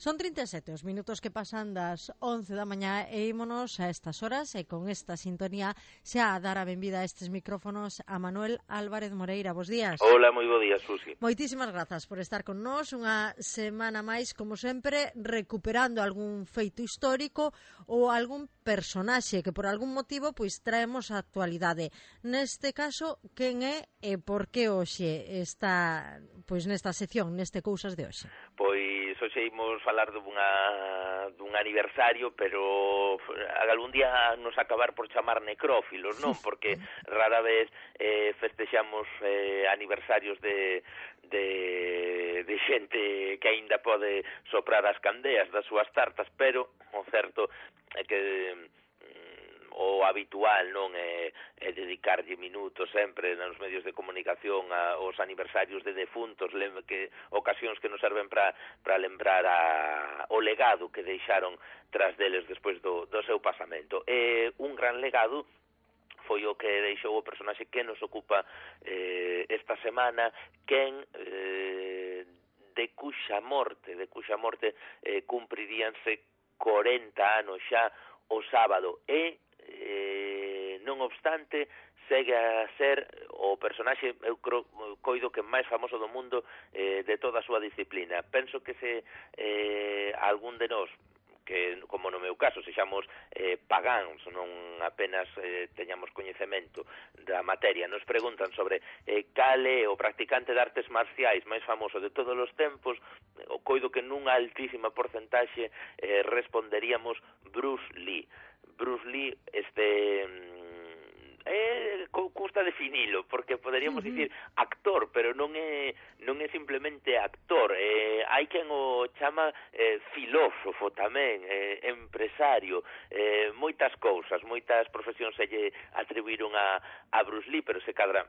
Son 37 os minutos que pasan das 11 da mañá e ímonos a estas horas e con esta sintonía xa a dar a benvida a estes micrófonos a Manuel Álvarez Moreira. Bos días. Hola, moi bo día, Susi. Moitísimas grazas por estar con nós unha semana máis, como sempre, recuperando algún feito histórico ou algún personaxe que por algún motivo pois traemos a actualidade. Neste caso, quen é e por que hoxe está pois nesta sección, neste Cousas de hoxe? Pois hoxe imos falar dun aniversario, pero algún día nos acabar por chamar necrófilos, non? Porque rara vez festexamos aniversarios de xente que aínda pode soprar as candeas das súas tartas, pero o certo é que o habitual non é dedicarlle minutos sempre nos medios de comunicación aos aniversarios de defuntos, que ocasións que nos serven para lembrar o legado que deixaron tras deles despois do seu pasamento. Un gran legado foi o que deixou o personaxe que nos ocupa esta semana, quen de cuxa morte cumpriríanse 40 anos xa o sábado e non obstante segue a ser o personaxe, eu coido que máis famoso do mundo de toda a súa disciplina. Penso que se algún de nós, que como no meu caso sexamos pagáns, non apenas teñamos coñecemento da materia, nos preguntan sobre cal é o practicante de artes marciais máis famoso de todos os tempos, o coido que nunha altísima porcentaxe responderíamos Bruce Lee. Bruce Lee, custa definilo, porque poderíamos dicir actor, pero non é simplemente actor. Hai quen o chama filósofo tamén, empresario, moitas cousas, moitas profesións se lle atribuíron a Bruce Lee, pero se cadra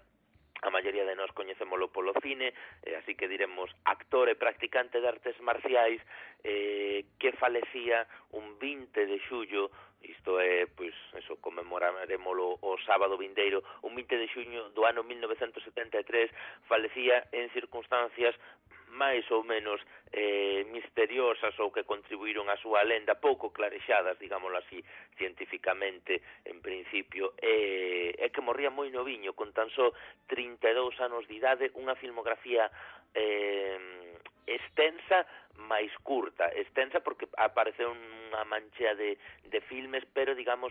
a maioría de nós coñecémolo polo cine, así que diremos actor e practicante de artes marciais que falecía un 20 de xullo, isto é, pois, eso, conmemoraremoslo o sábado vindeiro, un 20 de xuño do ano 1973, falecía en circunstancias máis ou menos misteriosas ou que contribuíron á súa lenda, pouco clarexadas, digámoslo así, cientificamente, en principio, é que morría moi noviño, con tan só 32 anos de idade, unha filmografía extensa, máis curta, extensa porque apareceu unha manchea de filmes, pero, digamos,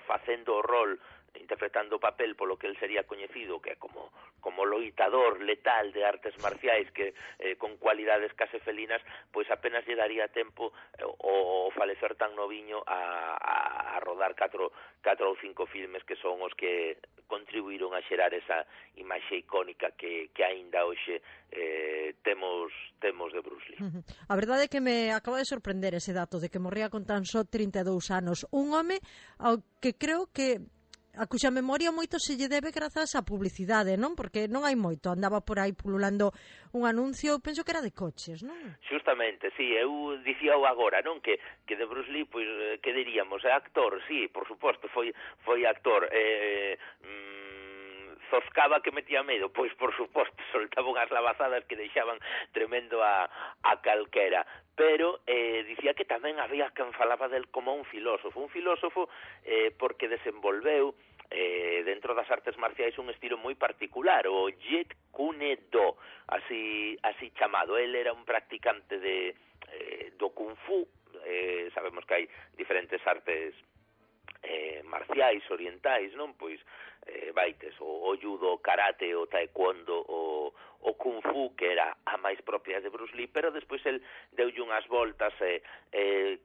facendo o rol, interpretando o papel polo que el sería coñecido, que é como loitador letal de artes marciais, que con cualidades case felinas, pois apenas lle daría tempo o falecer tan noviño a rodar 4 ou 5 filmes que son os que contribuíron a xerar esa imaxe icónica que aínda hoxe temos de Bruce Lee. A verdade é que me acaba de sorprender ese dato de que morría con tan só 32 anos. Un home ao que creo que a cuxa memoria moito se lle debe grazas á publicidade, non? Porque non hai moito, andaba por aí pululando un anuncio, penso que era de coches, non? Justamente, sí, eu dicíao agora, non? Que de Bruce Lee, pois, que diríamos? É actor, sí, por suposto, foi actor, zoscaba que metía medo, pois por suposto, soltaba unhas lavazadas que deixaban tremendo a calquera, pero dicía que tamén había quen falaba del como un filósofo porque desenvolveu dentro das artes marciais un estilo moi particular, o Jeet Kune Do, así chamado. El era un practicante do Kung Fu, sabemos que hai diferentes artes marciais orientais, non? Pois vaites o judo, o karate, o taekwondo, o kung fu, que era a máis propia de Bruce Lee, pero despois el deulle unhas voltas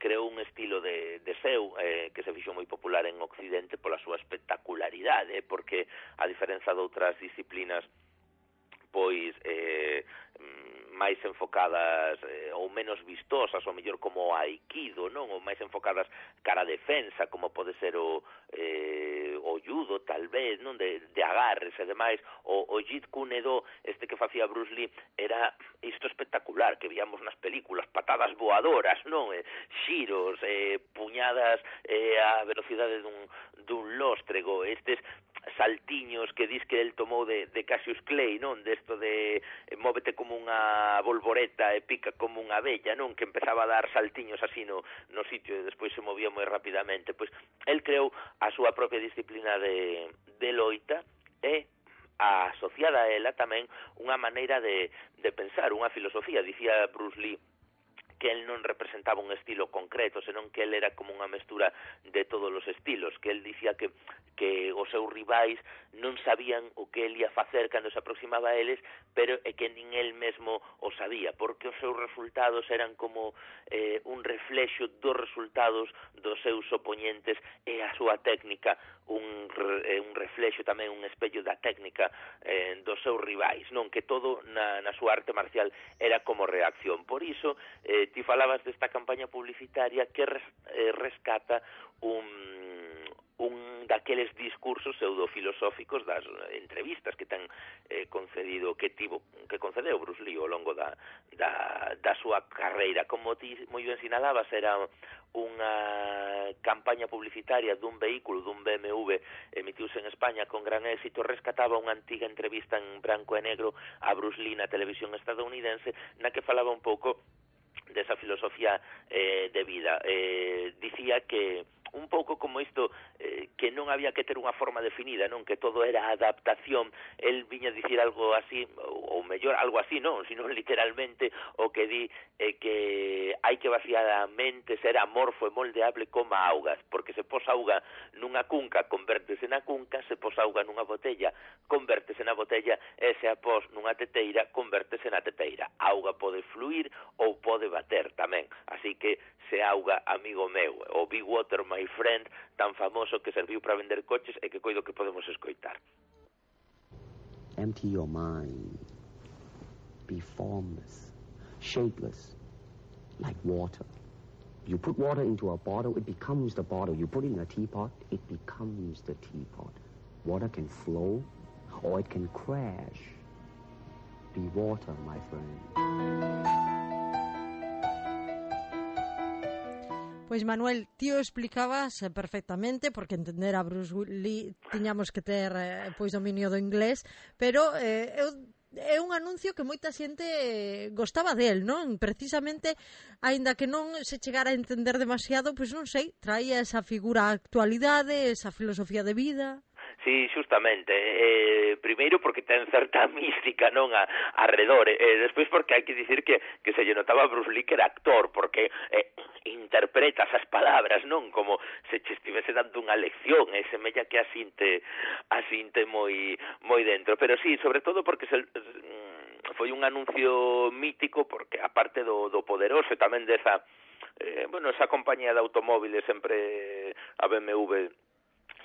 creou un estilo de seu que se fixo moi popular en Occidente pola súa espectacularidade, porque a diferenza de outras disciplinas pois máis enfocadas ou menos vistosas, ou mellor como o aikido, non? Ou máis enfocadas cara a defensa, como pode ser o judo, tal vez, non? De agarres e demais. O Jeet Kune Do, que facía Bruce Lee, era isto espectacular, que víamos nas películas, patadas voadoras, non? Xiros, puñadas a velocidade dun lóstrego, saltiños que dis que el tomou de Cassius Clay, non? Desto de móvete como unha bolboreta e pica como unha abella, non? Que empezaba a dar saltiños así no sitio e despois se movía moi rapidamente. Pois el creou a súa propia disciplina de loita e asociada a ela tamén unha maneira de pensar, unha filosofía. Dicía Bruce Lee que el non representaba un estilo concreto, senón que el era como unha mestura de todos os estilos, que el dicía que os seus rivais non sabían o que el ia facer cando se aproximaba a eles, pero é que nin el mesmo o sabía, porque os seus resultados eran como un reflexo dos resultados dos seus oponentes e a súa técnica un reflexo tamén, un espello da técnica dos seus rivais, non? Que todo na súa arte marcial era como reacción. Por iso, ti falabas desta campaña publicitaria que rescata un daqueles discursos pseudofilosóficos das entrevistas que ten concedido, que concedeu Bruce Lee ao longo da súa carreira. Como ti moi ben sinalabas, era unha campaña publicitaria dun vehículo, dun BMW, emitiuse en España con gran éxito, rescataba unha antiga entrevista en branco e negro a Bruce Lee na televisión estadounidense, na que falaba un pouco desa filosofía de vida. Dicía que un pouco como isto, que non había que ter unha forma definida, non? Que todo era adaptación. El viña a dicir algo así, ou mellor, algo así, non? Sino literalmente o que di que hai que vaciar a mente, ser amorfo e moldeable como a augas, porque se pos auga nunha cunca, convértese na cunca, se pos auga nunha botella, convértese na botella, e se a pos nunha teteira, convértese na teteira. A auga pode fluir ou pode bater tamén, así que se auga, amigo meu, o Big Water, my friend, tan famoso que serviu para vender coches e que coido que podemos escoitar. Empty your mind. Be formless, shapeless, like water. You put water into a bottle, it becomes the bottle. You put it in a teapot, it becomes the teapot. Water can flow or it can crash. Be water, my friend. Pois Manuel, ti o explicabas perfectamente, porque entender a Bruce Lee tiñamos que ter pois dominio do inglés, pero é un anuncio que moita xente gostaba del, non? Precisamente, aínda que non se chegara a entender demasiado, pois non sei, traía esa figura á actualidade, esa filosofía de vida. Sí, justamente. Primeiro porque ten certa mística, non, arredor. Despois porque hai que dicir que se lle notaba a Bruce Lee que era actor, porque interpreta esas palabras, non, como se che estivese dando unha lección, e semella que asinte moi dentro. Pero sí, sobre todo porque foi un anuncio mítico, porque aparte do poderoso e tamén desa esa compañía de automóviles, sempre a BMW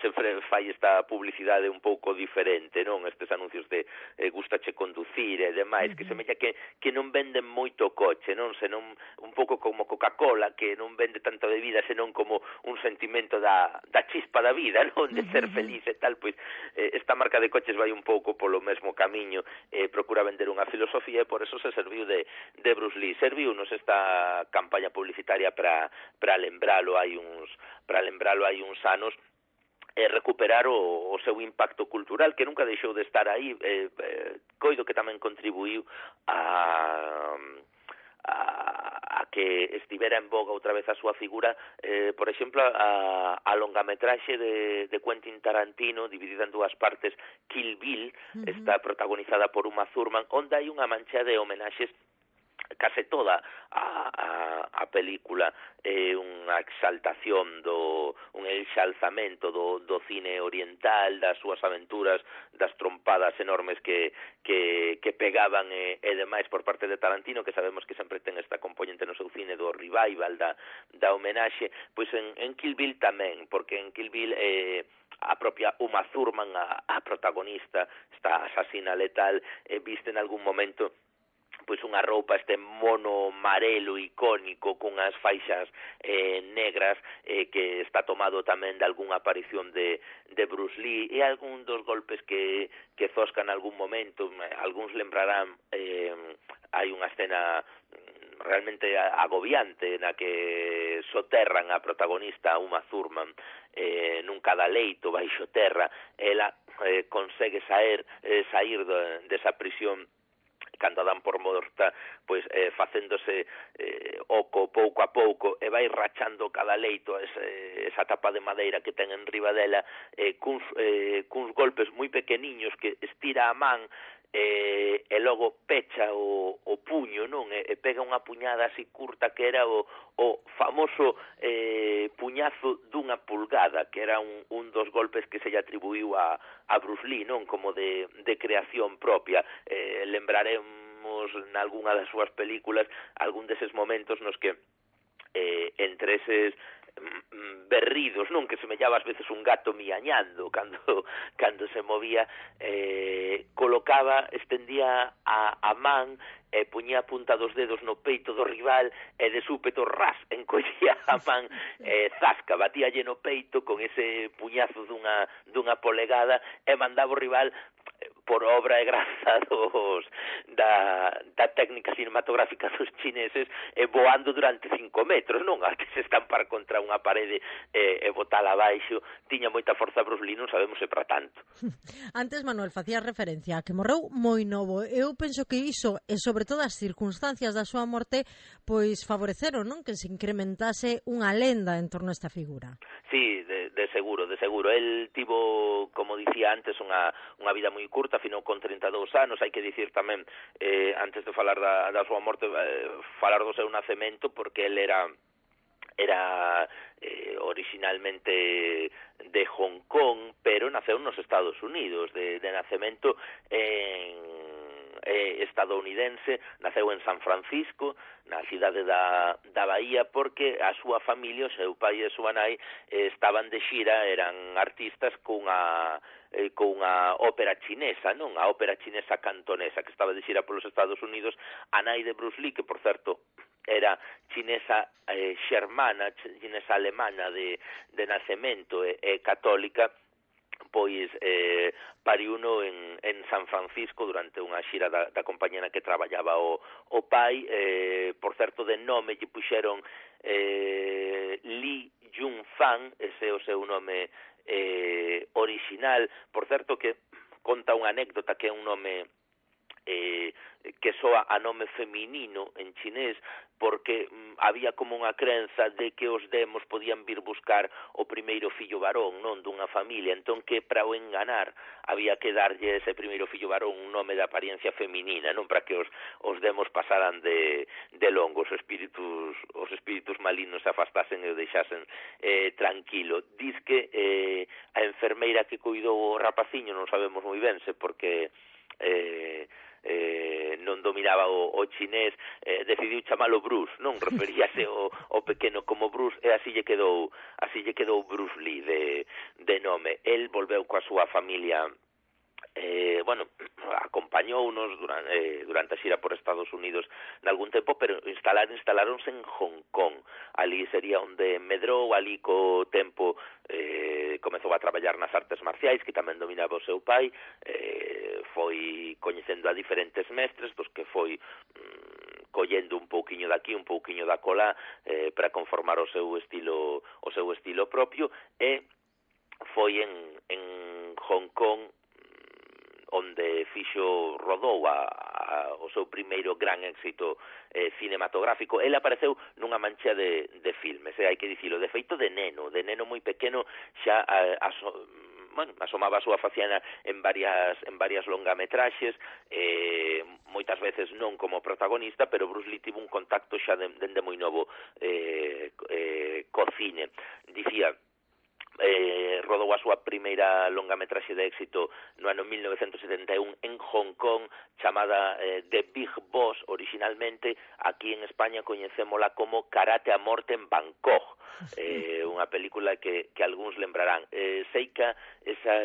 sempre fai esta publicidade un pouco diferente, non? Estes anuncios de gustache conducir e demais, que semella que non venden moito coche, non? Senón un pouco como Coca-Cola, que non vende tanto de vida, senón como un sentimento da chispa da vida, non? De ser feliz e tal, pois esta marca de coches vai un pouco polo mesmo camiño, procura vender unha filosofía e por eso se serviu de Bruce Lee. Serviunos esta campaña publicitaria para lembralo hai uns anos, recuperar o seu impacto cultural, que nunca deixou de estar aí. Coido que tamén contribuiu a que estivera en boga outra vez a súa figura, por exemplo, a longametraxe de Quentin Tarantino, dividida en dúas partes, Kill Bill, está protagonizada por Uma Thurman, onde hai unha mancha de homenaxes. Case toda a película é unha exaltación un enxalzamento do cine oriental, das súas aventuras, das trompadas enormes que pegaban e demais por parte de Tarantino, que sabemos que sempre ten esta componente no seu cine do revival, da homenaxe. Pois en Kill Bill tamén, porque en Kill Bill a propia Uma Thurman, a protagonista, esta asasina letal, viste en algún momento pois unha roupa, este mono marelo icónico cunhas faixas negras, que está tomado tamén de algunha aparición de Bruce Lee, e algún dos golpes que zoscan en algún momento. Algúns lembrarán, hai unha escena realmente agobiante na que soterran a protagonista Uma Thurman nun cadaleito baixo terra. Ela consegue sair desa prisión cando dan por morta, pois facéndose oco pouco a pouco e vai rachando cada leito esa tapa de madeira que ten en riba dela cuns golpes moi pequeniños que estira a man e logo pecha o puño, non? E pega unha puñada así curta que era o famoso puñazo dunha pulgada, que era un dos golpes que se lle atribuiu a Bruce Lee, non? Como de creación propia. Lembraremos nalgúna das súas películas algún deses momentos nos que entre eses berridos, non, que semellaba ás veces un gato miañando cando se movía, estendía a man e puñía a punta dos dedos no peito do rival e de súpeto ras encollía a man zasca, batía lleno peito con ese puñazo dunha polegada e mandaba o rival por obra e graza da técnica cinematográfica dos chineses voando durante 5 metros, non? A que se estampar contra unha parede e botala abaixo. Tiña moita forza Bruce Lee, non sabemos se para tanto. Antes, Manuel, facía referencia a que morreu moi novo. Eu penso que iso, e sobre todo as circunstancias da súa morte, pois favoreceron, non? Que se incrementase unha lenda en torno a esta figura. Sí, de seguro. El tivo, como dicía antes, unha vida moi curta, finou con 32 anos. Hai que dicir tamén, antes de falar da súa morte, falar do seu nacemento, porque el era originalmente de Hong Kong, pero naceu nos Estados Unidos, de nacemento estadounidense. Naceu en San Francisco, na cidade da Bahía, porque a súa familia, o seu pai e a súa nai, estaban de xira, eran artistas cunha ópera chinesa, non? A ópera chinesa cantonesa, que estaba de xira polos Estados Unidos. A nai de Bruce Lee, que por certo era chinesa xermana, chinesa alemana de nacemento e católica, pois pariuno en San Francisco durante unha xira da compañía na que traballaba o pai. Por certo, de nome lle puxeron Li Junfang, ese é o seu nome original. Por certo, que conta unha anécdota que é un nome que soa a nome feminino en chinés, porque había como unha crenza de que os demos podían vir buscar o primeiro fillo varón, non, dunha familia, entón que para o enganar había que darlle ese primeiro fillo varón un nome de apariencia feminina, non, para que os demos pasaran de longo, os espíritus malignos se afastasen e o deixasen tranquilo. Diz que a enfermeira que cuidou o rapaciño, non sabemos moi ben se porque non dominaba o chinés, decidiu chamalo Bruce, non? Referíase o pequeno como Bruce, e así lle quedou Bruce Lee de nome. El volveu coa súa familia, acompañounos durante a xira por Estados Unidos nalgún tempo, pero instalaronse en Hong Kong. Ali sería onde medrou, ali co tempo comezou a traballar nas artes marciais, que tamén dominaba o seu pai. Foi coñecendo a diferentes mestres, dos que foi collendo un pouquiño daqui, un pouquiño da colá, para conformar o seu estilo propio, e foi en Hong Kong onde rodou o seu primeiro gran éxito cinematográfico. Ele apareceu nunha mancha de filmes, hai que dicilo, de feito de neno moi pequeno, xa asomaba a súa faciana en varias longametraxes, moitas veces non como protagonista, pero Bruce Lee tivo un contacto xa dende moi novo co cine. Dicía, rodou a súa primeira longametraxe de éxito no ano 1971 en Hong Kong, chamada The Big Boss originalmente. Aquí en España coñecémola como Karate a morte en Bangkok, unha película que algúns lembrarán. Seica, esa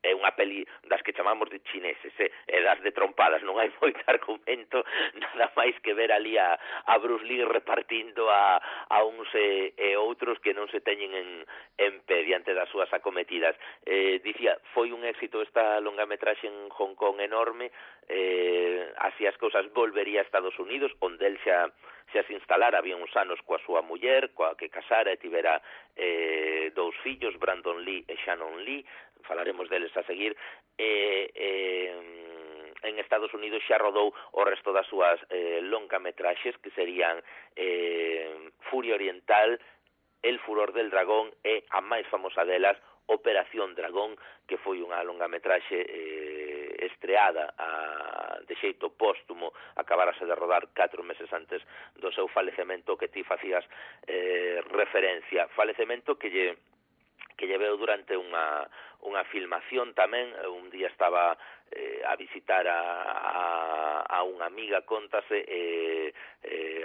é unha peli das que chamamos de chineses, e das de trompadas, non hai moito argumento, nada máis que ver ali a Bruce Lee repartindo a uns e outros que non se teñen en pé diante das súas acometidas. Dicía, foi un éxito esta longametraxe en Hong Kong enorme, así as cousas volvería a Estados Unidos, onde el xa se instalara, había uns anos coa súa muller, coa que casara e tivera 2 fillos, Brandon Lee e Shannon Lee, falaremos deles a seguir, en Estados Unidos xa rodou o resto das súas longametraxes, que serían Furia Oriental, El furor del dragón e a máis famosa delas, Operación Dragón, que foi unha longametraxe estreada de xeito póstumo, acabárase de rodar 4 meses antes do seu falecemento, que ti facías referencia, falecemento que lle veu durante unha filmación tamén. Un día estaba a visitar a unha amiga, contase,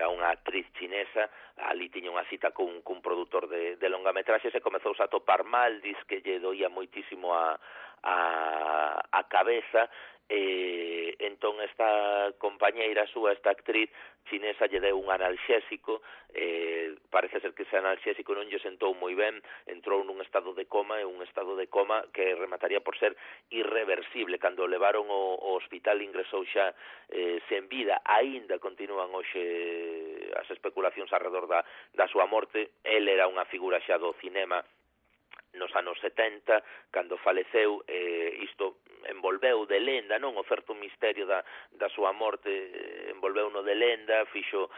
a unha actriz chinesa, ali tiña unha cita cun produtor de longametraxes e comezouse a topar mal, diz que lle doía moitísimo a cabeza, entón esta compañeira súa, esta actriz chinesa, lle deu un analxésico, parece ser que ese analxésico non lle sentou moi ben, entrou nun estado de coma, e un estado de coma que remataría por ser irreversible. Cando o levaron ao hospital ingresou xa sen vida, aínda continúan hoxe as especulacións alrededor da súa morte. El era unha figura xa do cinema nos anos 70, cando faleceu, isto envolveu de lenda, non? O certo misterio da súa morte envolveu no de lenda, fixo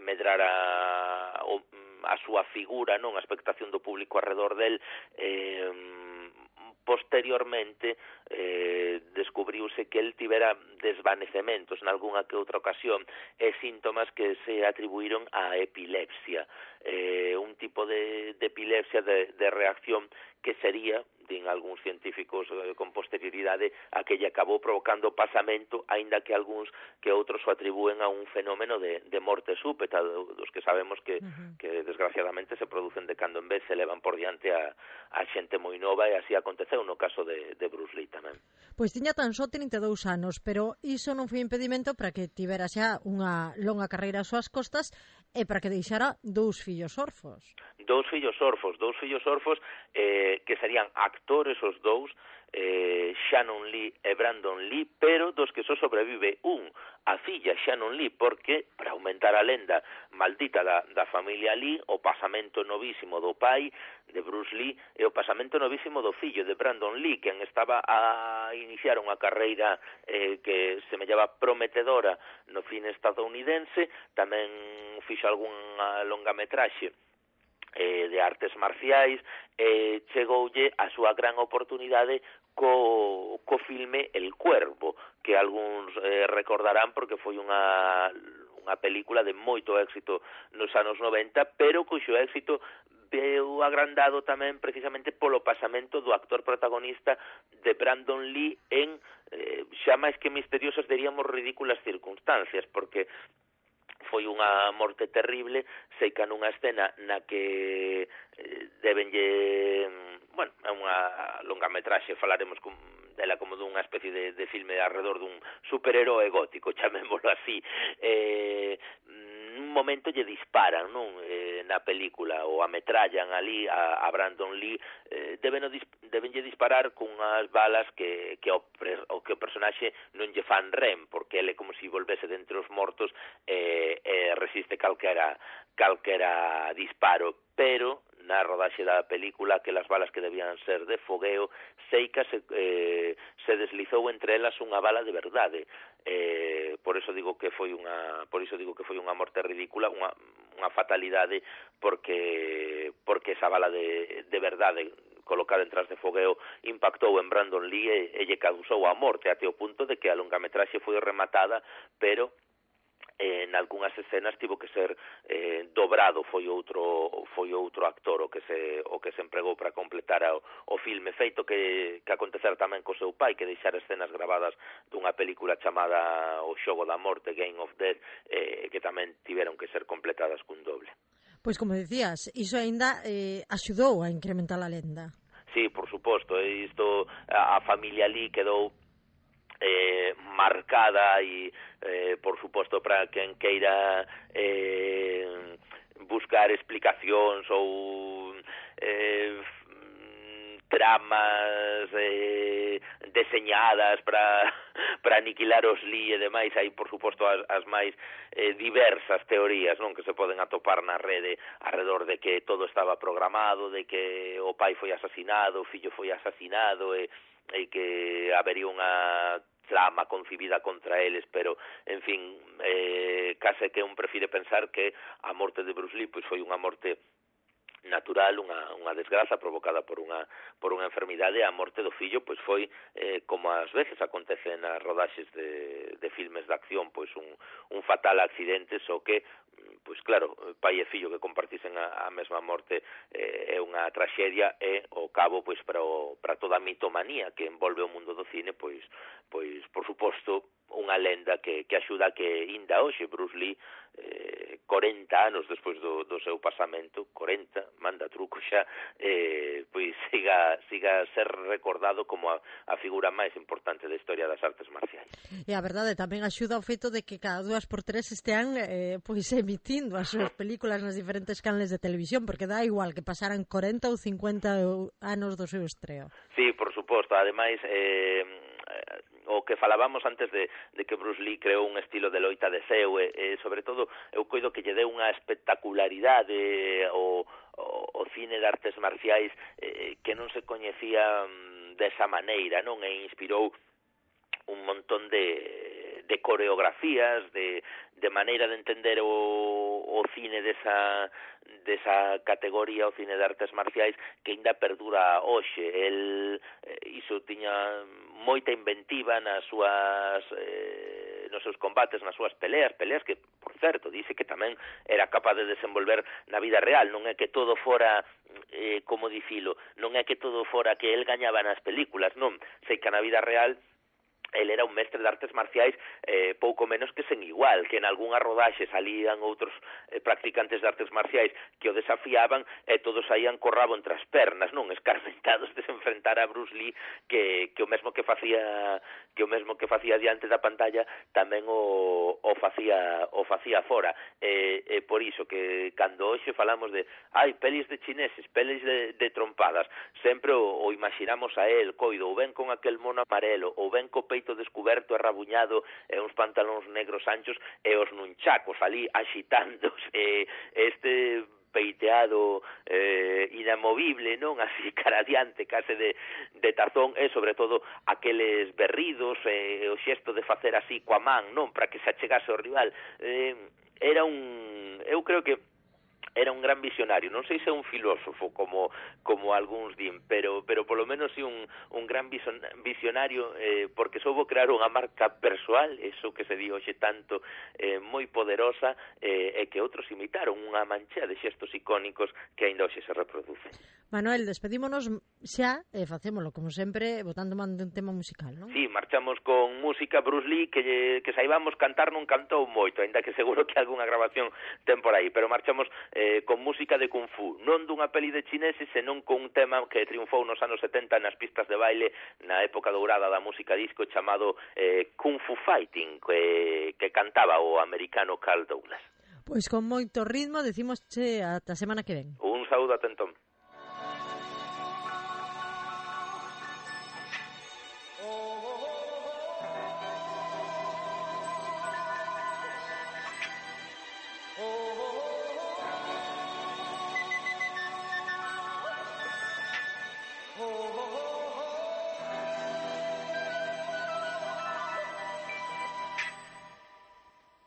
medrar a súa figura, non? A expectación do público alrededor del. Posteriormente descubriuse que el tivera desvanecementos nalgúna que outra ocasión e síntomas que se atribuíron a epilepsia, un tipo de epilepsia de reacción que sería, din algúns científicos con posterioridade, a que lle acabou provocando pasamento, aínda que algúns que outros o atribúen a un fenómeno de morte súpeta, dos que sabemos que desgraciadamente se producen de cando en vez, se levan por diante a xente moi nova, e así aconteceu no caso de Bruce Lee tamén. Pois tiña tan só 32 anos, pero iso non foi impedimento para que tivera xa unha longa carreira ás súas costas e para que deixara 2 fillos orfos. 2 fillos orfos que serían actores os dous, Shannon Lee e Brandon Lee, pero dos que só sobrevive a filla Shannon Lee, porque, para aumentar a lenda maldita da familia Lee, o pasamento novísimo do pai de Bruce Lee e o pasamento novísimo do fillo de Brandon Lee, quen estaba a iniciar unha carreira que semellaba prometedora no cine estadounidense. Tamén fixo algunha longametraxe de artes marciais, chegoulle a súa gran oportunidade co filme El Cuervo, que algúns recordarán porque foi unha película de moito éxito nos anos 90, pero cuxo éxito veu agrandado tamén precisamente polo pasamento do actor protagonista de Brandon Lee en xa máis que misteriosas, diríamos ridículas circunstancias, porque foi unha morte terrible, seica nunha escena na que debenlle, bueno, é unha longametraxe, falaremos dela como dunha especie de filme alrededor dun superheroe gótico, chamémolo así. Nun momento lle disparan, non? Na película, ou ametrallan ali a Brandon Lee, debenlle disparar cunhas balas que o personaxe non lle fan rem, porque ele como se volvese de entre os mortos e resiste calquera disparo, pero na rodaxe da película, que as balas que debían ser de fogueo, seica se deslizou entre elas unha bala de verdade. Por iso digo que foi unha morte ridícula, unha fatalidade, porque esa bala de verdade colocada en tras de fogueo impactou en Brandon Lee e lle causou a morte, até o punto de que a longametraxe foi rematada, pero en algunhas escenas tivo que ser dobrado. Foi outro actor o que se empregou para completar o filme, feito que acontecera tamén co seu pai, que deixara escenas grabadas dunha película chamada O Xogo da Morte, Game of Death, que tamén tiveron que ser completadas cun doble. Pois como decías, iso aínda axudou a incrementar a lenda. Sí, por suposto, isto a familia Lee quedou marcada e por suposto para quen queira buscar explicacións ou tramas deseñadas para aniquilar os Lee e demais. Hai, por suposto, as máis diversas teorías, non, que se poden atopar na rede alrededor de que todo estaba programado, de que o pai foi asesinado, o fillo foi asesinado e que habería unha trama concibida contra eles, pero, en fin, case que un prefire pensar que a morte de Bruce Lee pois foi unha morte natural, unha desgraza provocada por unha enfermidade. A morte do fillo pois foi, como ás veces acontece nas rodaxes de filmes de acción, pois un fatal accidente, só que pois claro, pai e fillo que compartisen a mesma morte é unha traxedia e ao cabo pois para toda a mitomanía que envolve o mundo do cine, pois por suposto unha lenda que axuda a que inda hoxe Bruce Lee 40 anos despois do seu pasamento, 40, manda truco xa, pois siga a ser recordado como a figura máis importante da historia das artes marciais. E a verdade tamén axuda o feito de que cada 2x3 estean pois emitindo as súas películas nas diferentes canles de televisión, porque dá igual que pasaran 40 ou 50 anos do seu estreo. Sí, por suposto, ademais o que falábamos antes de que Bruce Lee creou un estilo de loita de seu e sobre todo eu coido que lle deu unha espectacularidade o cine de artes marciais que non se coñecía desa maneira, non? E inspirou un montón de coreografías, de maneira de entender o cine desa categoría, o cine de artes marciais, que ainda perdura hoxe. El iso tiña moita inventiva nos seus combates, nas súas peleas que, por certo, dice que tamén era capaz de desenvolver na vida real. Non é que todo fora, como dicilo, non é que todo fora que el gañaba nas películas, non. Sei que na vida real el era un mestre de artes marciais pouco menos que sen igual, que en algunha rodaxe salían outros practicantes de artes marciais que o desafiaban e todos saían co rabo entre as pernas, non, escarmentados de se enfrentar a Bruce Lee, que o mesmo que facía diante da pantalla tamén o facía fora. E por iso que cando hoxe falamos de pelis de chineses, pelis de trompadas, sempre o imaginamos a él coido, ou ben con aquel mono amarelo, ou ben co peito descuberto e rabuñado e uns pantalóns negros anchos e os nunchacos ali axitándose, este peiteado inamovible, non? Así cara adiante, case de tazón, e sobre todo aqueles berridos, o xesto de facer así coa man, non? Para que se achegase ao rival. Eu creo que era un gran visionario, non sei se é un filósofo como algúns din, pero polo menos sí un gran visionario, porque soubo crear unha marca persoal, eso que se di hoxe tanto, moi poderosa, e que outros imitaron, unha mancha de xestos icónicos que aínda hoxe se reproducen. Manuel, despedímonos xa e facémolo, como sempre, botando man de un tema musical, non? Sí, marchamos con música. Bruce Lee, que saibamos cantar non cantou moito, aínda que seguro que algunha grabación ten por aí, pero marchamos con música de Kung Fu, non dunha peli de chineses, senón con un tema que triunfou nos anos 70 nas pistas de baile na época dourada da música disco, chamado Kung Fu Fighting, que cantaba o americano Carl Douglas. Pois con moito ritmo, decimos ata a semana que ven. Un saúdo a Tentón.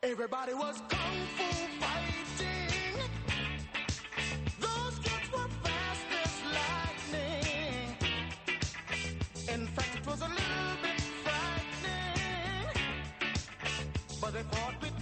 Everybody was kung fu fighting. Those kids were fast as lightning. In fact, it was a little bit frightening, but they fought with